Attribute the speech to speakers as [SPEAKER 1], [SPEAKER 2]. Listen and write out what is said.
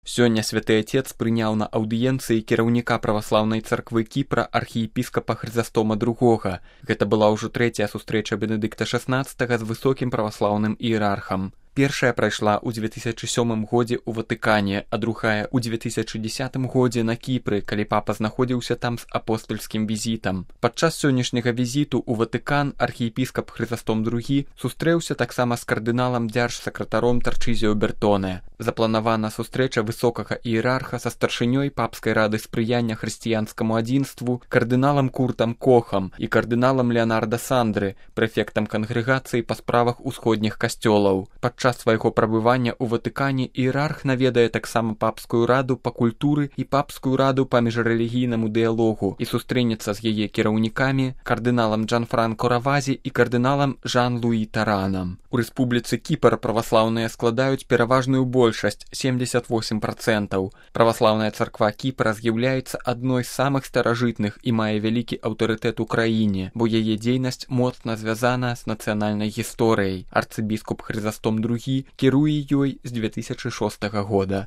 [SPEAKER 1] Сёння святы Отец прыняў на аўдыенцыі кіраўніка праваслаўнай царквы Кіпра архіепіскапа Хрызастома II. Гэта была ўжо трэцяя сустрэча Бенедыкта XVI з высокім праваслаўным іерархам. Першая прайшла ў 2007 годзе ў Ватыкане, а другая ў 2010 годзе на Кіпры, калі папа знаходзіўся там з апостальскім візітам. Падчас сённяшняга візіту ў Ватыкан архіепіскап Хрызастом II сустрэўся таксама з кардыналам дзяржсакратаром Тарчызіо Бертоне. Запланавана сустрэча высокага іерарха са старшынёй папскай рады спрыяння хрысціянскаму адзінству, кардыналам Куртам Кохам і кардыналам Леонардо Сандры, прэфектам кангрэгацыі па справах усходніх касцёлаў. Падчас свайго прабывання ў Ватыкане іерарх наведае таксама папскую раду па культуры і папскую раду па міжрэлігійнаму дыялогу і сустрэнецца з яе кіраўнікамі, кардыналам Джанфранко Равазі і кардыналам Жан-Луі Таранам. У рэспубліцы Кіпр праваслаўныя складаюць пераважную большасць 78%. Праваслаўная царква Кіпра з'яўляецца адной з самых старажытных і мае вялікі аўтарытэт у краіне, бо яе дзейнасць моцна звязана з нацыянальнай гісторыяй. Арцыбіскуп Хрызастом II кіруе ёй з 2006 года.